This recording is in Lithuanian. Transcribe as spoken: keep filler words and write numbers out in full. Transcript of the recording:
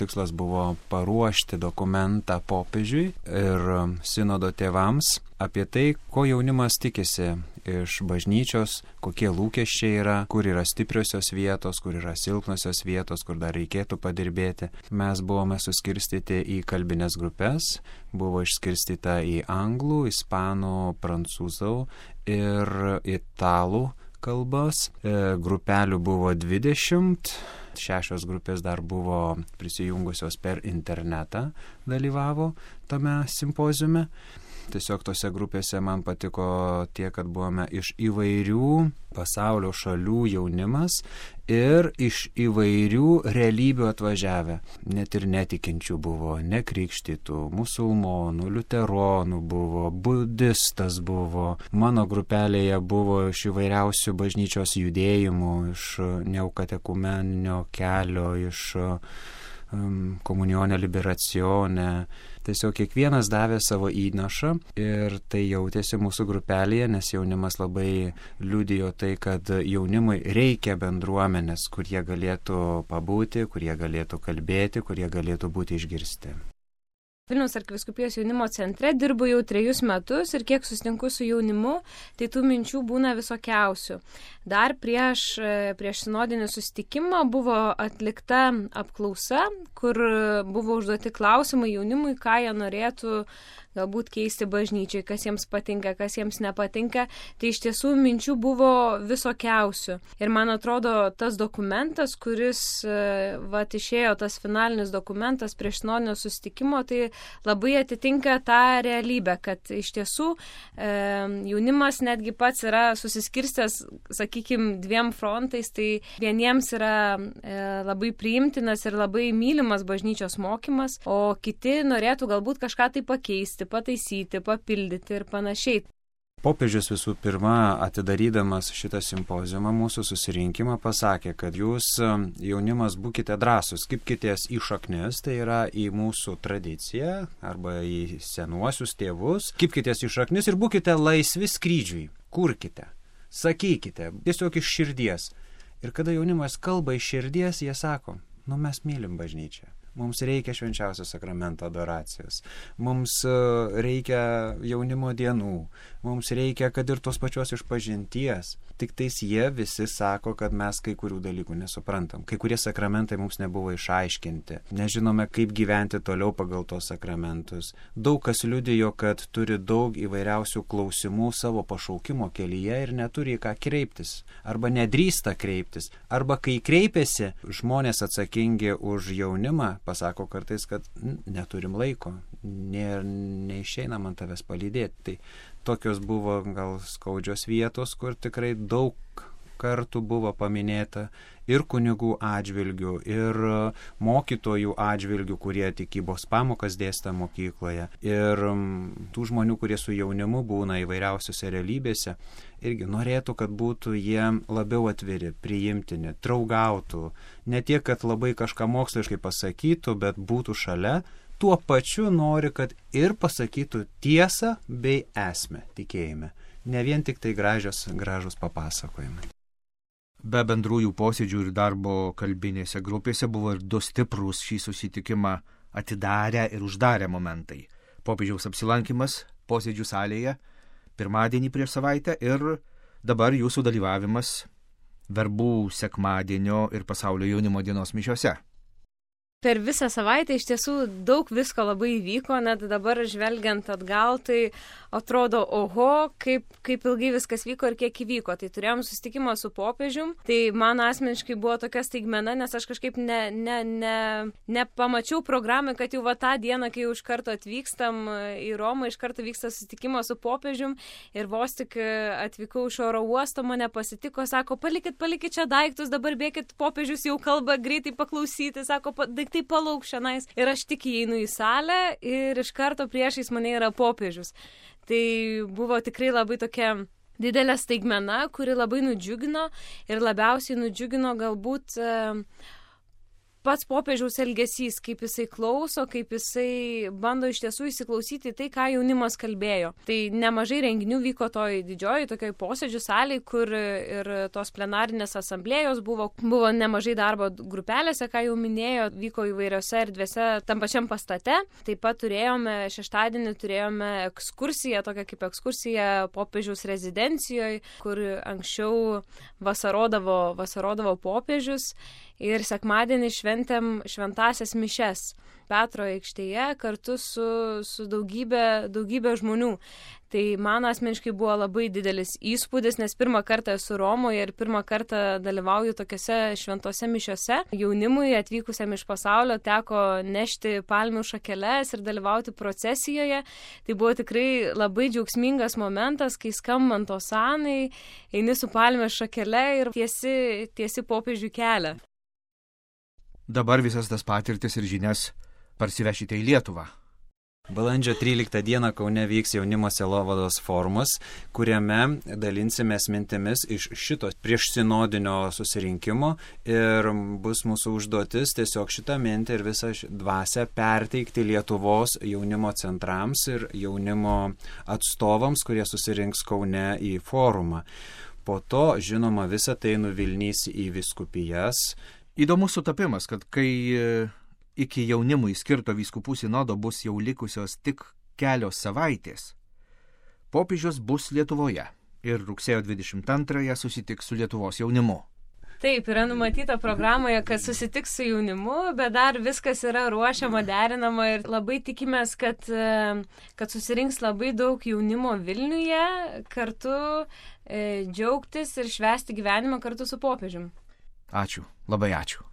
tikslas buvo paruošti dokumentą popiežiui ir sinodo tėvams apie tai, ko jaunimas tikisi iš bažnyčios, kokie lūkesčiai yra, kur yra stipriosios vietos, kur yra silpnosios vietos, kur dar reikėtų padirbėti. Mes buvome suskirstyti į kalbinės grupės, buvo išskirstyta į anglų, ispanų, prancūzų ir italų kalbas. E, grupelių buvo dvidešimt, šešios grupės dar buvo prisijungusios per internetą, dalyvavo tame simpoziume. Tiesiog tose grupėse man patiko tie, kad buvome iš įvairių pasaulio šalių jaunimas ir iš įvairių realybių atvažiavę. Net ir netikinčių buvo, nekrikštytų, musulmonų, liuteronų buvo, budistas buvo. Mano grupelėje buvo iš įvairiausių bažnyčios judėjimų, iš neokatekumeninio kelio, iš um, komunionė liberacione. Tiesiog kiekvienas davė savo įnašą ir tai jautėsi mūsų grupelėje, nes jaunimas labai liudijo tai, kad jaunimui reikia bendruomenės, kur jie galėtų pabūti, kur jie galėtų kalbėti, kur jie galėtų būti išgirsti. Vilniaus arkivyskupijos jaunimo centre dirbu jau trejus metus ir kiek susitinku su jaunimu, tai tų minčių būna visokiausių. Dar prieš, prieš sinodinį susitikimą buvo atlikta apklausa, kur buvo užduoti klausimai jaunimui, ką jie norėtų galbūt keisti bažnyčiai, kas jiems patinka, kas jiems nepatinka. Tai iš tiesų minčių buvo visokiausių. Ir man atrodo, tas dokumentas, kuris vat, išėjo, tas finalinis dokumentas prieš sinodinio susitikimo, tai labai atitinka tą realybę, kad iš tiesų e, jaunimas netgi pats yra susiskirstęs, sakykime, dviem frontais, tai vieniems yra e, labai priimtinas ir labai mylimas bažnyčios mokymas, o kiti norėtų galbūt kažką tai pakeisti, pataisyti, papildyti ir panašiai. Popiežius visų pirma, atidarydamas šitą simpoziumą, mūsų susirinkimą, pasakė, kad jūs jaunimas būkite drąsūs, kibkitės į šaknis, tai yra į mūsų tradiciją arba į senuosius tėvus, kibkitės į šaknis ir būkite laisvi skrydžiui, kurkite, sakykite, tiesiog iš širdies. Ir kada jaunimas kalba iš širdies, jie sako, nu mes mylim bažnyčią. Mums reikia švenčiausio sakramento adoracijos, mums reikia jaunimo dienų, mums reikia, kad ir tos pačios išpažinties. Tik tais jie visi sako, kad mes kai kurių dalykų nesuprantam. Kai kurie sakramentai mums nebuvo išaiškinti. Nežinome, kaip gyventi toliau pagal tos sakramentus. Daug kas liudijo, kad turi daug įvairiausių klausimų savo pašaukimo kelyje ir neturi į ką kreiptis. Arba nedrįsta kreiptis. Arba kai kreipiasi, žmonės atsakingi už jaunimą pasako kartais, kad neturim laiko, ne, neišeina man tavęs palydėti. Tai tokios buvo gal skaudžios vietos, kur tikrai daug kartų buvo paminėta ir kunigų atžvilgių, ir mokytojų atžvilgių, kurie tikybos pamokas dėstė mokykloje, ir tų žmonių, kurie su jaunimu būna įvairiausiose realybėse, irgi norėtų, kad būtų jie labiau atviri, priimtini, draugautų, ne tiek, kad labai kažką moksliškai pasakytų, bet būtų šalia, tuo pačiu nori, kad ir pasakytų tiesą bei esmę tikėjime, ne vien tik tai gražios, gražus papasakojimai. Be bendrųjų posėdžių ir darbo kalbinėse grupėse buvo ir du stiprūs šį susitikimą atidarę ir uždarę momentai. Popiežiaus apsilankimas posėdžių salėje pirmadienį prieš savaitę ir dabar jūsų dalyvavimas verbų sekmadienio ir pasaulio jaunimo dienos mišiose. Per visą savaitę iš tiesų daug visko labai įvyko, net dabar žvelgiant atgal, tai atrodo, oho, kaip, kaip ilgai viskas vyko ir kiek įvyko. Tai turėjom susitikimą su popiežium, tai man asmeniškai buvo tokia staigmena, nes aš kažkaip ne, ne, ne, nepamačiau programą, kad jau va tą dieną, kai jau iš karto atvykstam į Romą, iš karto vyksta susitikimas su popiežium ir vos tik atvykau iš oro uosto, mane pasitiko, sako, palikit, palikit čia daiktus, dabar bėkit, popiežius jau kalba, greitai paklausyti, sako, tai palauk šiandien. Ir aš tik įeinu į salę ir iš karto priešais mane yra popiežius. Tai buvo tikrai labai tokia didelė staigmena, kuri labai nudžiugino ir labiausiai nudžiugino galbūt pats popiežiaus elgesys, kaip jisai klauso, kaip jisai bando iš tiesų įsiklausyti tai, ką jaunimas kalbėjo. Tai nemažai renginių vyko toj didžiojoj tokioj posėdžių salėj, kur ir tos plenarinės asamblėjos buvo, buvo nemažai darbo grupelėse, ką jau minėjo, vyko įvairiose erdvėse tam pačiam pastate. Taip pat turėjome, šeštadienį turėjome ekskursiją, tokią kaip ekskursija popiežiaus rezidencijoje, kur anksčiau vasarodavo, vasarodavo popiežius. Ir sekmadienį šventėm šventasias mišes Petro aikštėje kartu su, su daugybė, daugybė žmonių. Tai man asmeniškai buvo labai didelis įspūdis, nes pirmą kartą esu Romoje ir pirmą kartą dalyvauju tokiose šventose mišiose. Jaunimui atvykusiam iš pasaulio teko nešti palmių šakeles ir dalyvauti procesijoje. Tai buvo tikrai labai džiaugsmingas momentas, kai skambant osanai, eini su palmės šakele ir tiesi, tiesi popiežių kelią. Dabar visas tas patirtis ir žinias parsivešite į Lietuvą. Balandžio tryliktą dieną Kaune vyks jaunimo sielovados forumas, kuriame dalinsimės mintimis iš šito priešsinodinio susirinkimo ir bus mūsų užduotis tiesiog šitą mintį ir visą dvasią perteikti Lietuvos jaunimo centrams ir jaunimo atstovams, kurie susirinks Kaune į forumą. Po to, žinoma, visą tai nuvilnys į vyskupijas. Įdomus sutapimas, kad kai iki jaunimui skirto vyskupų sinodo bus jau likusios tik kelios savaitės, popiežius bus Lietuvoje ir rugsėjo dvidešimt antrąją susitiks su Lietuvos jaunimu. Taip, yra numatyta programoje, kad susitiks su jaunimu, bet dar viskas yra ruošiama, derinama ir labai tikimės, kad, kad susirinks labai daug jaunimo Vilniuje, kartu e, džiaugtis ir švęsti gyvenimą kartu su popiežium. Ačiū, labai ačiū.